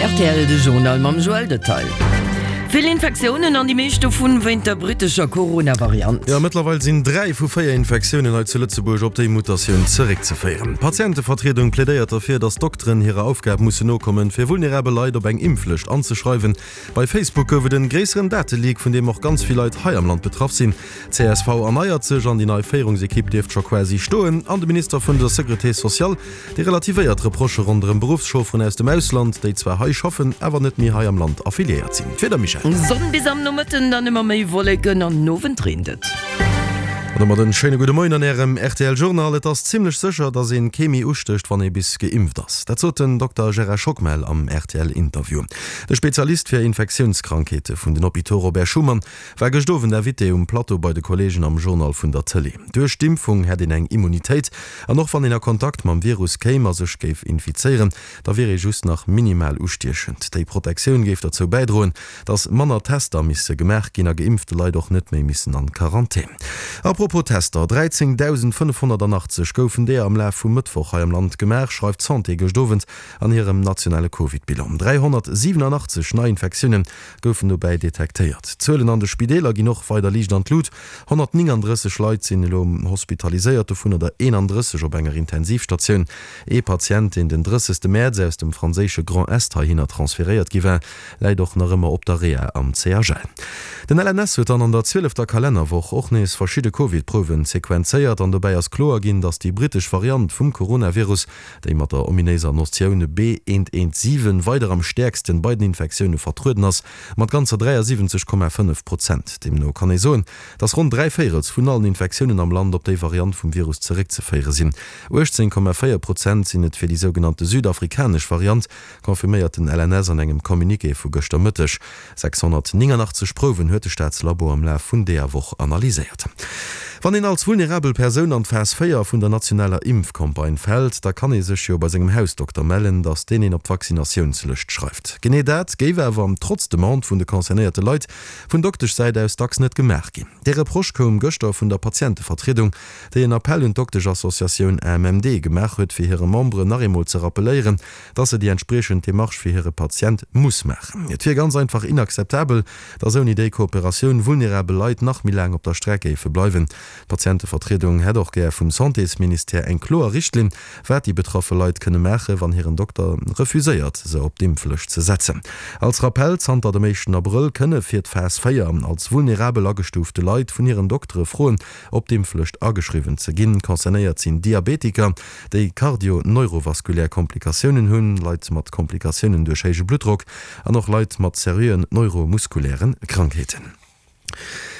Rtl, De Journal mam Joël Detail. Vill Infektiounen an déi meescht dovun wéint der brittescher Corona-Variant. Jo, mëttlerweil sinn 3 vu 4 Infektiounen hei zu Lëtzebuerg op déi Mutatioun zeréckzeféieren. D'Patientevertriedung plädéiert derfir, datt d'Dokteren hirer Aufgab mussen nokommen, fir vulnerabel Leit op eng Impflëscht anzeschreiwen. Bei Facebook gouf et en gréisseren Dateleak, vun deem och ganz vill Leit hei am Land betraff sinn. Csv erneiert sech an déi nei Féierungsekipp dierft scho quasi stoen. An de Minister vun der Securité sociale, dee relativéiert d'Reprochë ronderëm Beruffschaufferen aus dem Ausland, déi zwar hei schaffen, awer net méi hei am Land affiliéiert sinn. D'Wieder, Michèle? Sonn bis am Nomëtten, dann ëmmer méi Wolleken an den Owend reent et. An domat en schéine gudde Moien an Ärem rtl Journal. Et ass zimmlech sécher, dass een kee méi ustécht, wann ee bis geimpft ass. Dat sot den Dokter Gérard Schockmel am rtl Interview. De Spezialist fir Infektiounskrankheete vun den Hôpitaux Robert Schuman War gëscht Owend Invité um Plateau bei de Kollegen am Journal vun der Tëlee. Duerch d'Impfung hätt een eng Immunitéit an och wann een a Kontakt mam Virus kéim a sech géif infizéieren, da wier ee just nach minimal ustiechend. Déi Protektioun géif derzou bäidroen, datt manner Tester misse gemaach ginn a geimpfte Leit och net méi missen an Quarantän. A propos Tester, 13.580 goufen deeër am Laf vum Mëttwoch hei am Land gemaach, schreift d'Santé gëscht Owend an hirem nationale Covid-Bilan. 387 Neiinfektiounen goufen dobäi detektéiert. D'Zuelen an de Spideeler ginn och weider liicht an d'Lut, 139 Leit sinn elo hospitaliséiert, dovunner der 31 op enger Intensivstatioun. Ee Patient, deen den 30. Mäerz aus dem franséische Grand Est heihinner transferéiert gi war, läit och nach ëmmer op der Reha am CHL. Den LNS huet dann an der zwielefter Kalennerwoch och nees verschidde Covid-Prouwen sequenzéiert an dobäi ass kloer ginn, datt déi brittesch Variant vum Coronavirus déi mat der ominéiser Notioun B.1.1.7 weider am stäerksten bei den Infektioune vertrueden ass, mat ganzer 73,5 Prozent. Deemno kann ee soen, dass ronn dräivéierels vun allen Infektiounen am Land op déi Variant vum Virus zeréckzeféiere sinn. 18,4 Prozent sinn et fir déi sougenannte südafrikanesch Variant, confirméiert den LNS an engem Communiqué vu gëschter Mëtteg. 689 Prouwen huet de Staatslabo am Laf vun deeër Woch analyséiert. Wann een als vulnerabel Persoun an d'Phas 4 vun der nationaler Impfcampagne fält, da kann ee sech jo bei sengem Hausdokter mellen, datt deen een op d'Vaccinatiounslëscht schreift. Genee dat géif awer, trotz Demande vun de concernéierte Leit, vun Dokteschsäit aus dacks net gemaach ginn. Dee Reproche koum gëschter vun der Patientevertriedung, déi en Appell un d'Doktesch-Associatioun AMMD gemaach huet, fir hire Memberen nach eemol ze rappelléieren, dass se déi entspriechend Demarche fir hire Patient muss maachen. Et wier ganz einfach inakzeptabel, dass ouni déi Kooperatioun vulnerabel Leit nach méi laang op der Streck géife bleiwen. D'Patientevertriedung hätt och gär vum Santésministère eng kloer Richtlinn, wat déi betraffe Leit kënne maachen, wann hiren Dokter refuséiert, se op d'Impflëscht ze setzen. Als Rappell, Zanter dem éischten Abrëll kënne fir d'Phas 4 als vulnerabel agestuufte Leit vun hiren Doktere froen, op d'Impflëscht ageschriwwen ze ginn. Concernéiert sinn Diabetiker, déi kardio-neurovaskulär Komplikatiounen hunn, Leit mat Komplikatiounen duerch héije Bluttdrock an och Leit mat seriöen neuromuskuläre Krankheeten.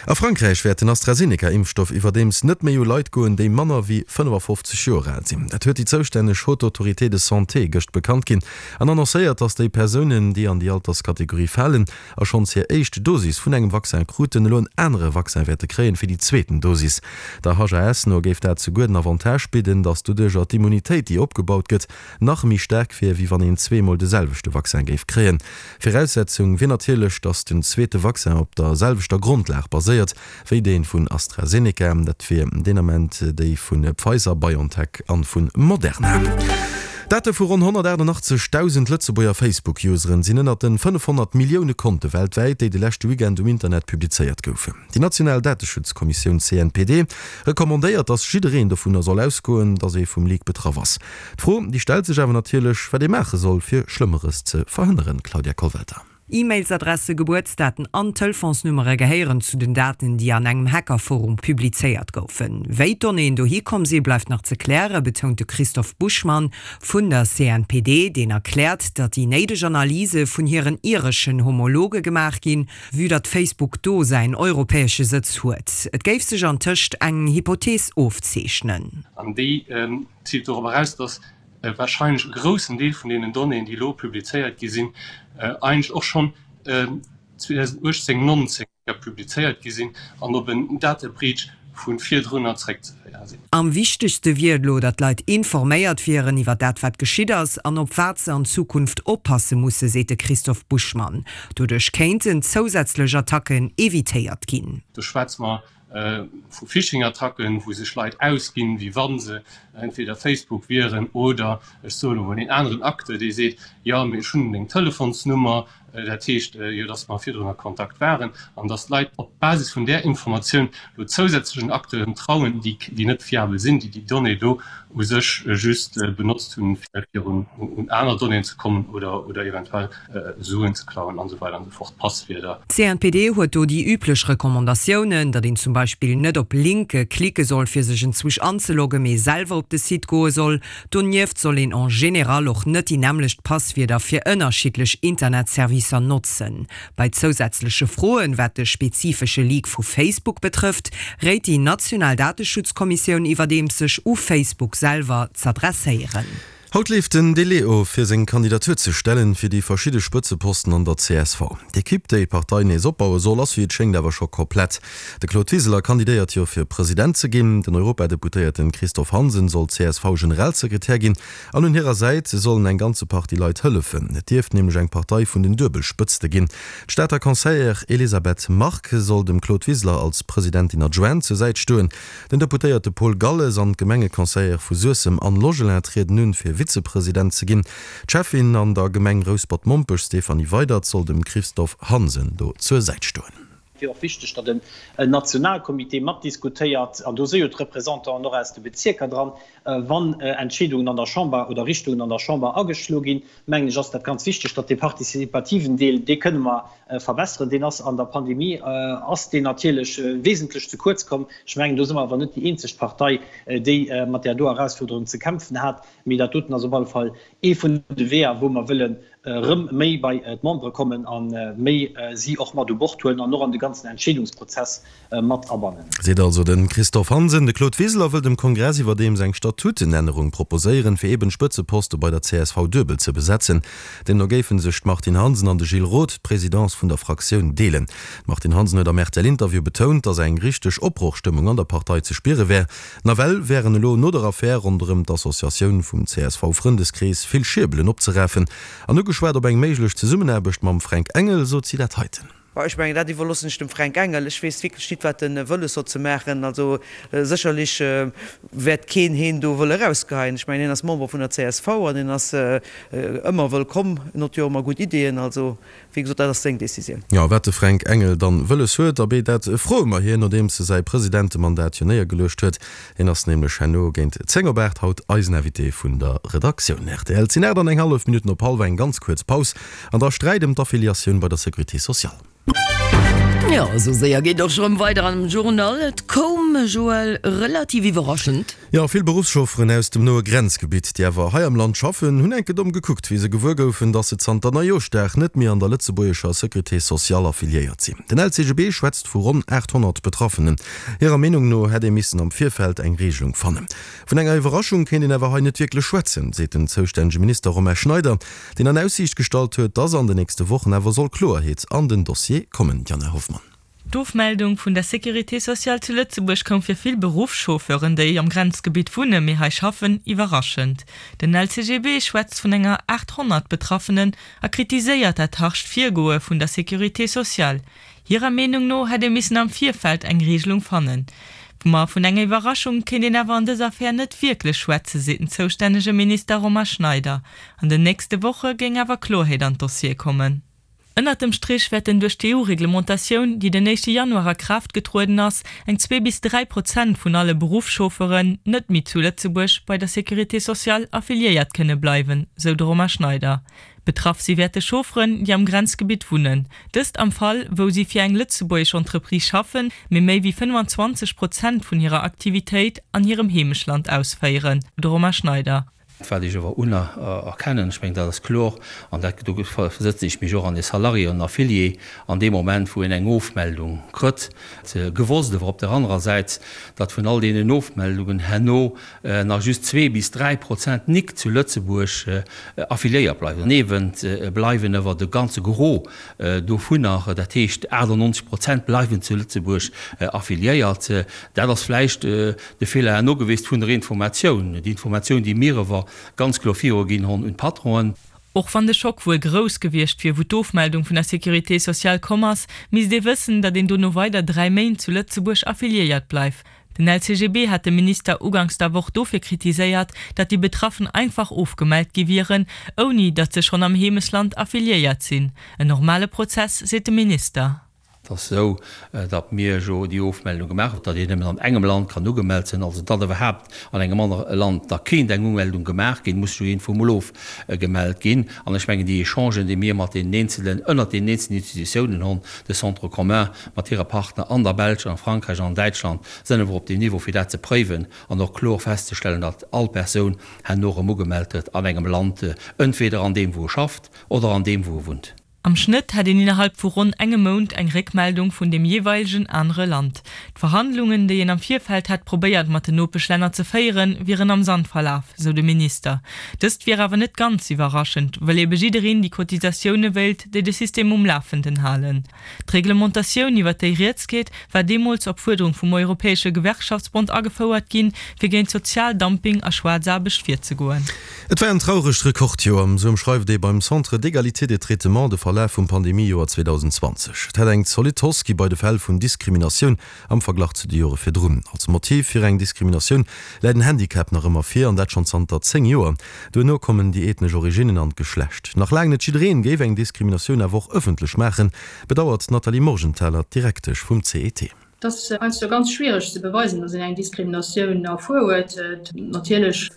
A Frankräich wäert den AstraZeneca-Impfstoff iwwerdeems net méi u Leit goen, déi manner wéi 55 Joer al sinn. Dat huet déi zoustänneg Haute Autorité de Santé gëscht bekannt ginn an annoncéiert, datt déi Persounen, déi an déi Alterskategorie falen, a schonns hir éischt Dosis vun engem Vaccin kruten, elo en anere Vaccin wäerte kréien fir déi zweeten Dosis. Der HAS no géif dat souguer den Avantage bidden, datt doduercher d'Immunitéit, déi opgebaut gëtt, nach méi staark wier, wéi wann een zweemol de selwechte Vaccin géif kréien. Viraussetzung wier natierlech, datt den zweete Vaccin op der selwechter Grondlag baséiert, wéi dee vun AstraZeneca. Dat wier deen Ament déi vu Pfizer, BioNTech an vu Moderna. Date vu ronn 188.000 Lëtzebuerger Facebook-Useren sinn ënnert den 500 Millioune Konte weltwäit, déi de leschte Weekend um Internet publizéiert goufen. Déi national Dateschutzkommissioun CNPD recommandéiert, datt jiddereen dovunner soll ausgoen, datt ee vum Leak betraff ass. D'Fro, déi stellt sech awer natierlech, wat ee maache soll, fir Schlëmmeres ze verhënneren. Claudia Kollwelter. E-Mailsadresse, Gebuertsdaten an Telefonsnummere gehéieren zu den Daten, déi an engem Hackerforum publizéiert goufen. Wéi d'Donnéeën dohi komm sinn, bleift nach ze klären, betount de Christophe Buschmann vun der CNPD, deen erkläert, datt déi néideg Analyse vun hiren ireschen Homologe gemaach ginn, vue datt Facebook do säin europäesche Sëtz huet. Et géif sech antëscht eng Hypothees ofzeechnen. An déi ziilt dorop eraus, datt warscheinlech e groussen Deel vun deenen Donnéeën, déi elo publizéiert gi sinn, eigentlech och schonn 2018, 19 publizéiert gi sinn an op en Data Breach vu virdrunner zréckzeféiere sinn. Am wichtegste wier et elo, datt d'Leit informéiert wieren iwwer dat, wat geschitt ass an op wat se an Zukunft oppasse musse, seet de Christophe Buschmann. Doduerch kéinten zousätzlech Attacken evitéiert ginn. Do schwätze mer vu Phishing-Attacken, wou sech Leit ausginn, wéi wa se. entweder Facebook wieren oder, ech soen elo mol, een aneren Acteur, dee seet, jo, mee ech hunn deng Telefonsnummer, dat heescht jo, dass mer virdrun a Kontakt waren, an dass d'Leit op Basis vun där Informatioun elo zousätzlechen Acteuren trauen, déi net fiabel sinn, déi déi Donnée do u sech just benotzt hunn, fir un aner Donnéeën ze kommen oder eventuell Suen ze klauen an esou weider an esou fort, Passwierder. D'CNPD huet do déi üblech Recommandatiounen, datt een zum Beispill net op Linke klicke soll fir sech enzwousch anzeloggen, mee selwer op de Site goe soll. Donieft soll een en général och net déi nämmlecht Passwierder fir ënnerschiddlech Internetservicer notzen. Bei zousätzleche Froen, wat de spezifesche Leak vu Facebook betrëfft, réit déi national Dateschutzkommissioun iwwerdeems sech u Facebook selwer z'adresséieren. Haut leeft den Delai of, fir seng Kandidatur ze stellen, fir déi verschidde Spëtzeposten an der csv. D'Ekipp, déi d'Partei nees opbaue soll, ass wéi et schéngt awer scho komplett. De Claude Wiseler kandidéiert jo fir President ze ginn, den Europadeputéierten Christophe Hansen soll CSV-Generalsekretär ginn an un hirer Säit sollen eng ganze Partie Leit hëllefen. Et dierft nämlech eng Partei vun den Duebelspëtzte ginn. D'Stater Conseillère Elisabeth Margue soll dem Claude Wiseler als Presidentin adjointe zur Säit stoen. Den Deputéierte Paul Galles an d'Gemengeconseillere vu Suessem Anne Logelin trieden un, fir Vizepresident ze ginn. D'Schäffin an der Gemeng Rouspert-Mompech Stéphanie Weydert soll dem Christophe Hansen do zur Säit stoen. Et wier och wichteg, datt en Nationalcomité matdiskutéiert, an do si jo d'Représentanten och aus de Bezierker dran, wann Entscheedungen an der Chamber oder Richtungen an der Chamber ageschloe ginn. Mengen ech, ass dat ganz wichteg, datt dee participativen Deel, dee kënne mer verbesseren, deen ass an der Pandemie ass deen natierlech wesentlech ze kuerz komm. Ech mengen, do si mer awer net déi eenzeg Partei, déi mat där do Erausfuerderung ze kämpfen hat. Mee dat doten ass op alle Fall ee vun de Weeër, wou mer wëllen erëm méi bei d'Membere kommen a méi si och mat u Bord huelen an och an de ganzen Entscheedungsprozess mat abannen. Seet also de Christophe Hansen. De Claude Wiseler wëll dem Kongress iwwerdeems eng Statutenännerung proposéieren, fir eben d'Spëtzeposte bei der csv duebel ze besetzen. Deemno géife sech d'Martine Hansen an de Gilles Roth d'Presidence vun der Fraktioun deelen. D'Martine Hansen huet am RTL-Interview betount, datt eng richteg Opbrochstëmmung an der Partei ze spiere wär. Nawell wären elo no der Affär ronderëm d'Associatioun vum CSV-Frëndeskrees vill Schierbelen opzerafen. An ugeschwat op eng méiglech Zesummenaarbecht mam Fränk Engel, sot si dat heiten. Bon, ech mengen, dat iwwerloossen ech dem Fränk Engel. Ech weess wierklech nit, wat e wëlles hott ze maachen. Also sécherlech wäert keen heen do wëlle erausgeheien. Ech mengen, hien ass Member vun der csv an hien ass ëmmer wëllkomm. En hott jo ëmmer gutt Ideeën. Also, wéi gesot, dat ass seng Décisioun. Jo, wat de Fränk Engel dann wëlles huet, abee, dat froe mer hien, nodeems e säi Presidentemandat jo néiergeluecht huet. Hien ass nämlech herno géint 10 op 8 haut eisen Invité vun der Redaktioun. Rtl, 't sinn 8 an eng hallef Minutten op hallwer, eng ganz kuerz Paus. An da Sträit ëm d'Affiliatioun bei der Sécurité sociale. Jo, esou séier geet och rëm weider am Journal. Et koum, Joël, relativ iwwerraschend. Jo, vill Beruffschaufferen aus dem noe Grenzgebitt, déi awer hei am Land schaffen, hunn enke domm gekuckt, wéi se gewuer goufen, datt se zanter Neijooschdag net méi an der lëtzebuergescher Sécurité sociale affiliéiert sinn. Den LCGB schwätzt vu ronn 800 Betraffenen. Hirer Meenung no hätt ee missen am Virfeld eng Regelung fannen. Vun enger Iwwerraschung kéint een awer hei net wierklech schwätzen, seet den zoustännege Minister Romain Schneider. deen an Aussiicht gestallt huet, dass an den nächste Wochen awer soll Kloerheet an den Dossier kommen. Diana Hoffmann. D'Ofmeldung vun der Sécurité sociale zu Lëtzebuerg koum fir vill Beruffschauffeuren, déi am Grenzgebitt wunne mee hei schaffen, iwwerraschend. Den LCGB schwätzt vun enger 800 Betraffenen a kritiséiert dat harscht Virgoe vun der Sécurité sociale. Hirer Meenung no hätt ee missen am Virfeld eng Regelung fannen. Ma vun enger Iwwerraschung kéint een awer an dëser Affär net wierklech schwätzen, seet den zoustännege Minister Romain Schneider. An den nächste Woche géing awer Kloerheet an d'Dossiere kommen. Ënnert dem Strich wäerten duerch d'EU-Reglementatioun, déi den éischte Januar a Kraaft getrueden ass, eng zwee bis 3 Prozent vun alle Beruffschaufferen net méi zu Lëtzebuerg bei der Sécurité sociale affiliéiert kënne bleiwen, sou de Romain Schneider. Betraff si wäerte Chaufferen, déi am Grenzgebitt wunnen. Dëst am Fall, wou si fir eng lëtzebuergesch Entreprise schaffen, mee méi wéi 25 Prozent vun hirer Aktivitéit an hirem Heemeschland ausféieren. De Romain Schneider. Wat ech awer unerkennen, ech mengen, dat ass kloer, an dat, do versëtzen ech mech och an e Salarié, en Affilié, an deem Moment, wou en eng Ofmeldung krëtt, gewosst awer op der anerer Säit, datt vun all deenen Ofmeldungen herno nach just zwee bis 3% nik zu Lëtzebuerg affiliéiert bleiwen. Doniewent bleiwen awer de ganze Gros dovunner, dat heescht 98 Prozent bleiwen zu Lëtzebuerg affiliéiert. Dat ass vläicht de Feeler herno gewiescht vun der Informatioun, déi Informatioun, déi mir awer ganz kloer viruginn honn un d'Patronen. Och wann de Schock wuel grouss gewiescht wier, wou d'Ofmeldung vun der Sécurité sociale komm ass, misst ee wëssen, datt een dono weider 3 Méint zu Lëtzebuerg affiliéiert bleift. Den LCGB hat de Minister uganks der Woch dofir kritiséiert, datt déi Betraffen einfach ofgemellt gi wieren, ouni datt se schonn am Heemesland affiliéiert sinn. En normale Prozess, seet de Minister. Et ass esou, datt mir jo déi Ofmeldung gemaach hunn, datt een nëmmen an engem Land kann ugemellt sinn. Also datt iwwerhaapt an engem anere Land da kéint eng Umeldung gemaach ginn, muss jo iergendwou emol ofgemellt ginn. An ech mengen, déi Echangen, déi mir mat deenen eenzelen, ënnert deenen eenzelen Institutiounen hunn, de Centre commun mat hire Partner an der Belsch, an a Frankräich an an Däitschland, sinn awer op deem Niveau, fir dat ze préiwen an och kloer festzestellen, datt all Persoun herno erëm ugemellt gëtt an engem Land, entweder an deem, wou e schafft, oder an deem, wou e wunnt. Am Schnëtt hätt een innerhalb vu ronn engem Mount eng Réckmeldung vun deem jeeweilegen anere Land. D'Verhandlungen, déi een am Virfeld hätt probéiert mat den Nopeschlänner ze féieren, wieren am Sand verlaf, sou de Minister. Dëst wier awer net ganz iwwerraschend, wëll ebe jiddereen déi Cotisatioune wéilt, déi de System um Lafenden halen. D'Reglementatioun, iwwer déi rieds geet, war deemools op Fuerderung vum Europäesche Gewerkschaftsbond agefouert ginn, fir géint Sozialdumping a Schwaarzaarbecht virzegoen. Et war en trauregt Rekordjoer, esou ëmschreift ee beim Centre d'égalité des traitements de Verlaf vum Pandemiejoer 2020. Et hätt eng zolidd Hausse gi bei de Fäll vun Diskriminatioun am Verglach zu de Jore virdrun. Als Motiv fir eng Diskriminatioun läit en Handicap nach ëmmer vir, an dat schonn zanter 10 Joer. Duerno kommen déi ethnesch Originnen an d'Geschlecht. Nach laang net jiddereen géif eng Diskriminatioun awer och ëffentlech maachen, bedauert d'Nathalie Morgenthaler, d'Direktesch vum CET. Et ass heiansdo ganz schwiereg ze beweisen, datt een eng Diskriminatioun erfuer huet. Natierlech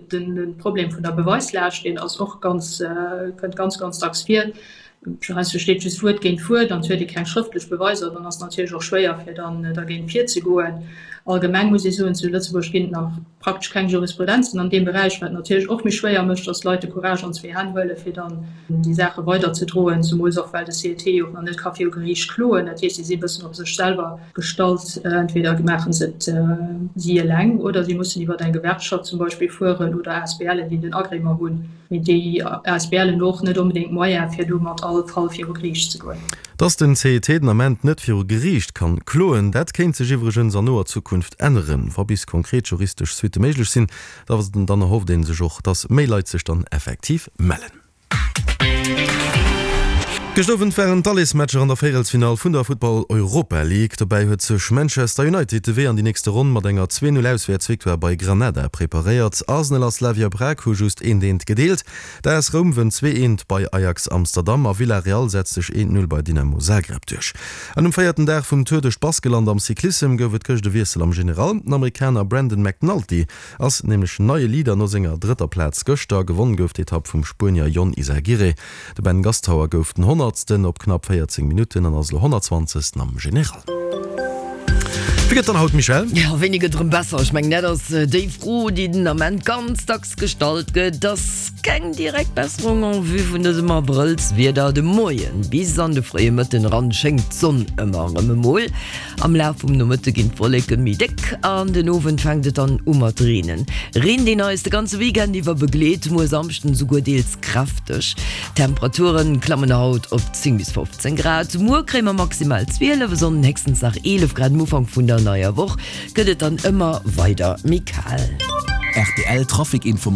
de Problem vun der Beweislaascht, deen ass och ganz, kënnt ganz, ganz dacks vir. Heiansdo steet just Wuert géint Wuert an et huet ee keng schrëftlech Beweiser. Dann ass et natierlech och schwéier, fir dann dergéint virzegoen. Allgemeng muss ee soen, zu Lëtzebuerg ginn et nach praktesch keng Jurisprudenzen an deem Beräich, wat natierlech och méi schwéier mécht, dass d'Leit de Courage an zwee Hänn huelen, fir dann déi Saache weiderzedroen, zemools och well de CET jo och nach net ka viru Geriicht kloen. Dat heescht, si si e bëssen op sech selwer gestallt. Entweder maache se et si eleng oder si mussen iwwer eng Gewerkschaft zum Beispill fueren oder ASBLen, déi den Agrément hunn. Mee déi ASBLen hunn och net onbedéngt d'Moyene fir do mat all Fall viru Geriicht ze goen. Dass den CET den Ament net viru Geriicht kann kloen, dat kéint sech iwwregens an noer Zukunft änneren. Wa bis konkret juristesch Suitte méiglech sinn, dann erhofft ee sech och, dass méi Leit sech dann effektiv mellen. Gëscht Owend waren d'Allesmatcher an der Véierelsfinall vun der Futtball Europa League. Dobäi huet sech Manchester United de Wee an déi nächste Ronn mat enger 2, 0 Auswäertsvictoire bei Granada preparéiert. Arsenal a Slavia Prag hu just eent eent gedeelt. D'AS Roum wënnt 2, eent bei Ajax Amsterdam a Villarreal setzt sech 1, 0 bei Dynamo Zagreb duerch. An um véierten Dag vum Tour duerch d'Baskeland am Cyclissem gouf et gëscht e Wiessel am General. Den Amerikaner Brandon McNulty Ass nämlech neie Leader no senger drëtter Plaz gëschter. Gewonn gouf d'Etapp vum Spuenier Jon Izaguirre. De Ben Gastauer gouf den Honnertsten op knapp 14 Minutten an ass elo Honnertzwanzegsten am General. Wéi gëtt dann haut, Michèle? Jo, wéini gëtt erëm besser? Ech mengen, dat ass déi Fro, déi den Ament ganz dacks gestallt gëtt. Et ass keng direkt Besserung en vue vun dësem Abrëllswieder. De Moien bis an de fréie Mëtten eran schéngt d'Sonn ëmmer erëm emol. Am Laf vum Nomëtte ginn d'Wolleke méi déck an den Owend fänkt et dann u mat Reenen. Reen, deen eis de ganze Weekend iwwer begleet, muer Samschden esouguer deels kräfteg. D'Temperature klammen haut op 10 bis 15 Grad, muer kréie mer maximal 12, e Sonnden héchstens nach 11 Grad. Am Ufank vun der neier Woch gëtt et dann ëmmer weider méi kal. Rtl Trafic Informatiounen.